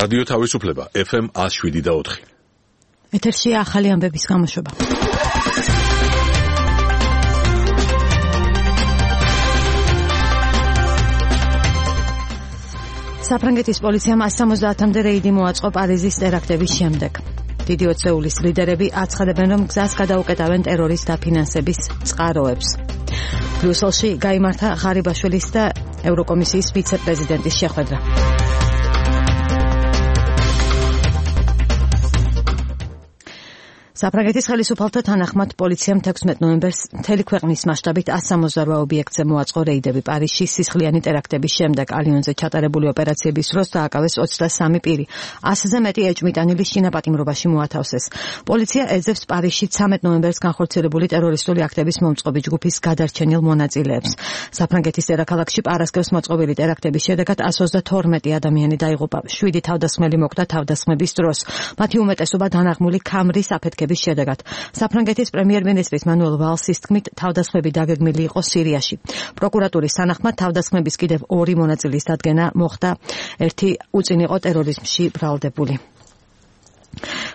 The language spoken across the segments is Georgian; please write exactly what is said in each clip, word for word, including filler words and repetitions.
რადიო თავისუფლება ეფ ემ ათს შვიდი და ოთხი. ეთერშია ახალი ამბების გამოშვება. საფრანგეთის პოლიციამ ასი სამოცდაათამდე რეიდი მოაწყო პარიზის ტერაქტების შემდეგ. დიდი ოცეულის ლიდერები აცხადებენ, რომ გზას გადაუკეტავენ ტერორის დაფინანსების წყაროებს. ბრიუსელში გაიმართა ღარიბაშვილის და ევროკომისიის ვიცე-პრეზიდენტის შეხვედრა. საფრანგეთის ხელისუფალთა თანახმად პოლიციამ თექვსმეტ ნოემბერს მთელი ქვეყნის მასშტაბით ასი სამოცდაოთხ ობიექტზე მოაწყო რეიდები. პარიზში სისხლიანი ტერაქტების შემდეგ ალიონზე ჩატარებული ოპერაციების დროს დააკავეს ოცდასამი პირი. ასზე მეტი ეჭვმიტანილი შინაპატიმრობაში მოათავსეს. პოლიცია ეძებს პარიზში ცამეტ ნოემბერს განხორციელებული ტერორისტული აქტების მომწყობი ჯგუფის გადარჩენილ მონაწილეებს. საფრანგეთის დედაქალაქში პარასკევს მოწყობილი ტერაქტების შედეგად ასი ოცდათორმეტი ადამიანი დაიღუპა. შვიდი თავდასხმელი მოკვდა თავდასხმების დროს. მათი უმეტესობა დანაღმული ქამრის აფეთქების შედეგად. საფრანგეთის პრემიერ-მინისტრის მანუელ ვალსის თქმით, თავდასხმები დაგეგმილი იყო სირიაში. პროკურატურის თანახმად თავდასხმების კიდევ ორი მონაწილის დადგენა მოხდა, ერთი უწინიყო ტერორიზმში ბრალდებული.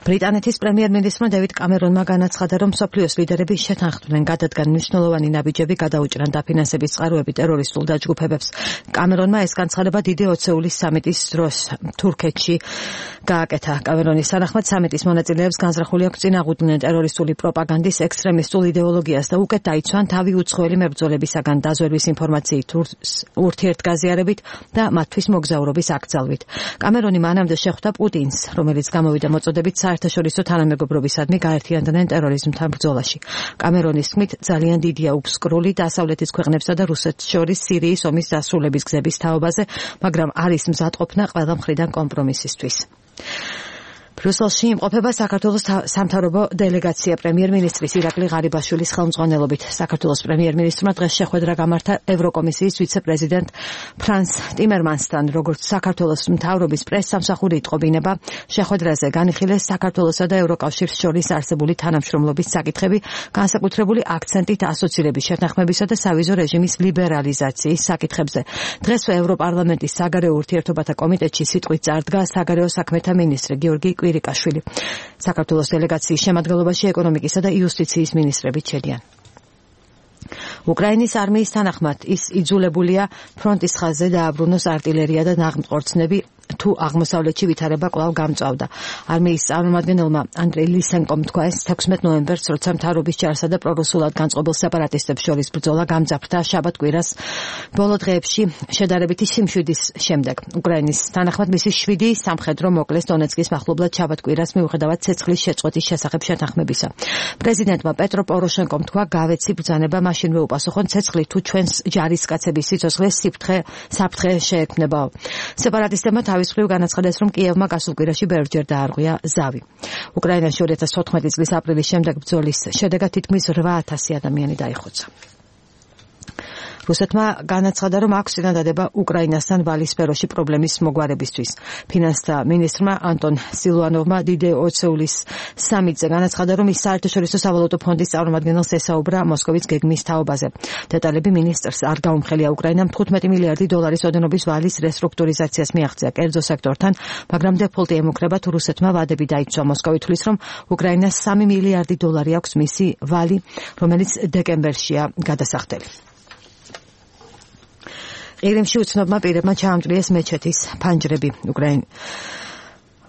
ბრიტანეთის პრემიერ-მინისტრმა დევიდ კამერონმა განაცხადა, რომ მსოფლიოს ლიდერები შეთანხმდნენ გადადგან მნიშვნელოვანი ნაბიჯები გადაუჭრან დაფინანსების წყაროები ტერორისტულ დაჯგუფებებს. კამერონმა ეს განცხადება დიდი ოცეულის სამიტის დროს თურქეთში გააკეთა. კამერონის თანახმად სამიტის მონაწილეებს განზრახული აქვს წინააღმდნენ ტერორისტული პროპაგანდის, ექსტრემისტულ იდეოლოგიას და უკეთ დაიცვან თავი უცხოელი მებრძოლებისაგან დაზვერვის ინფორმაციით, ურთიერთგაზიარებით და მათთვის მოგზაურობის აკრძალვით. კამერონი მანამდე შეხვდა პუტინს, რომელიც გამოვიდა მოწოდებით საერთაშორისო თანამეგობრობისადმი გაერთიანდნენ ტერორიზმთან ბრძოლაში. კამერონის თქმით, ძალიან დიდია უფსკრული დასავლეთის ქვეყნებსა და რუსეთს შორის სირიის ომის დასრულების გზების თაობაზე, მაგრამ არის მზადყოფნა ყველა მხრიდან კომპრომისისთვის. ბრიუსელში იმყოფება საქართველოს სამთავრობო დელეგაცია პრემიერ-მინისტრის ირაკლი ღარიბაშვილის ხელმძღვანელობით. საქართველოს პრემიერ-მინისტრმა დღეს შეხვედრა გამართა ევროკომისიის ვიცე-პრეზიდენტ ფრანს ტიმერმანსთან, როგორც საქართველოს მთავრობის პრესსამსახური იტყობინება. შეხვედრაზე განიხილეს საქართველოსა და ევროკავშირს შორის არსებული თანამშრომლობის საკითხები, განსაკუთრებული აქცენტით ასოცირების შეთანხმებისა და სავიზო რეჟიმის ლიბერალიზაციის საკითხებზე. დღესვე ევროპარლამენტის საგარეო ურთიერთობათა კომიტეტში სიტყვით წარდგა საგარეო საქმეთა მინისტრი გიორგი კვირიკაშვილი. საქართველოს დელეგაციის შემადგენლობაში ეკონომიკისა და იუსტიციის მინისტრები ჩედიან. უკრაინის არმიის თანახმად ის იძულებულია ფრონტის ხაზზე დააბრუნოს არტილერია და ნაღმწყორცნები, თუ აღმოსავლეთში ვითარება კვლავ გამწვავდა. არმიის წარმომადგენელმა ანდრეი ლისენკომ თქვა ეს თექვსმეტ ნოემბერს, როცა მთავრობის ჯარსა და პრორუსულად განწყობილ სეპარატისტებს შორის ბრძოლა გამძაფრდა შაბათ-კვირას ბოლო დღეებში შედარებითი სიმშვიდის შემდეგ. უკრაინის თანახმად მისი შვიდი სამხედრო მოკლეს დონეცკის მახლობლად შაბათ-კვირას მიუხედავად ცეცხლის შეწყვეტის შესახებ შეთანხმებისა. პრეზიდენტმა პეტრო პოროშენკომ თქვა, გავეცი ბრძანება მაშინვე უპასუხონ ცეცხლი თუ ჩვენს ჯარისკაცების სიცოცხლეს საფრთხე საფრთხე შეექმნებაო. სეპარატისტებმა თავის მხრივ განაცხადეს, რომ კიევმა გასულ კვირაში ბევრჯერ დაარღვია ზავი. უკრაინაში ორი ათას თოთხმეტი წლის აპრილის შემდეგ ბრძოლის შედეგად თითქმის რვა ათასი ადამიანი დაიხოცა. რუსეთმა განაცხადა, რომ აქვს წინადადება უკრაინასთან ვალის სფეროში პრობლემის მოგვარებისთვის. ფინანსთა მინისტრმა ანტონ სილვანოვმა დიდი ოცეულის სამიტზე განაცხადა, რომ ის საერთაშორისო სავალუტო ფონდის წარმომადგენელს ესაუბრა მოსკოვის გეგმის თაობაზე. დეტალები მინისტრს არ გაუმხელია. უკრაინამ თხუთმეტი მილიარდი დოლარის ოდენობის ვალის რესტრუქტურიზაციას მიაღწია კერძო სექტორთან, მაგრამ დეფოლტი ემუქრება თუ რუსეთმა ვადები დაიცვა. მოსკოვი თვლის, რომ უკრაინას სამი მილიარდი დოლარი აქვს მისი ვალი, რომელიც დეკემბერშია გადასახდელი. ყირიმში უცნობმა პირებმა ჩაამჭრიეს მეჩეთის ფანჯრები. უკრაინ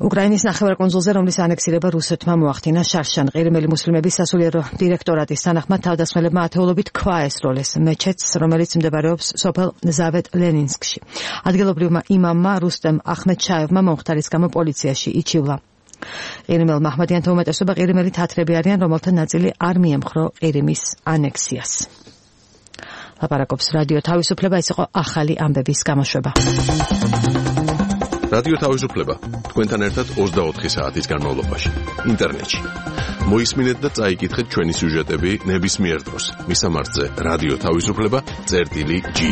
უკრაინის ნახევარკუნძულზე, რომლის ანექსირება რუსეთმა მოახდინა შარშან. ყირიმელი მუსლიმების სასულიერო დირექტორატის თანახმად თავდასხმელებმა ათეულობით ქვა ესროლეს მეჩეთს, რომელიც მდებარეობს სოფელ ზავეთ-ლენინსკში. ადგილობრივმა იმამმა რუსტემ ახმედშაევმა მომხდარის გამო პოლიციაში იჩივლა. ყირიმელ მაჰმადიანთა უმეტესობა ყირიმელი თათრები არიან, რომელთა ნაწილი არ მიემხრო ყირიმის ანექსიას. ლაპარაკობს რადიო თავისუფლება, ეს იყო ახალი ამბების გამოშვება. რადიო თავისუფლება თქვენთან ერთად ოცდაოთხი საათის განმავლობაში ინტერნეტში. მოისმინეთ და წაიკითხეთ ჩვენი სიუჟეტები ნებისმიერ დროს. მისამართზე რადიო თავისუფლება წერტილი ჯი.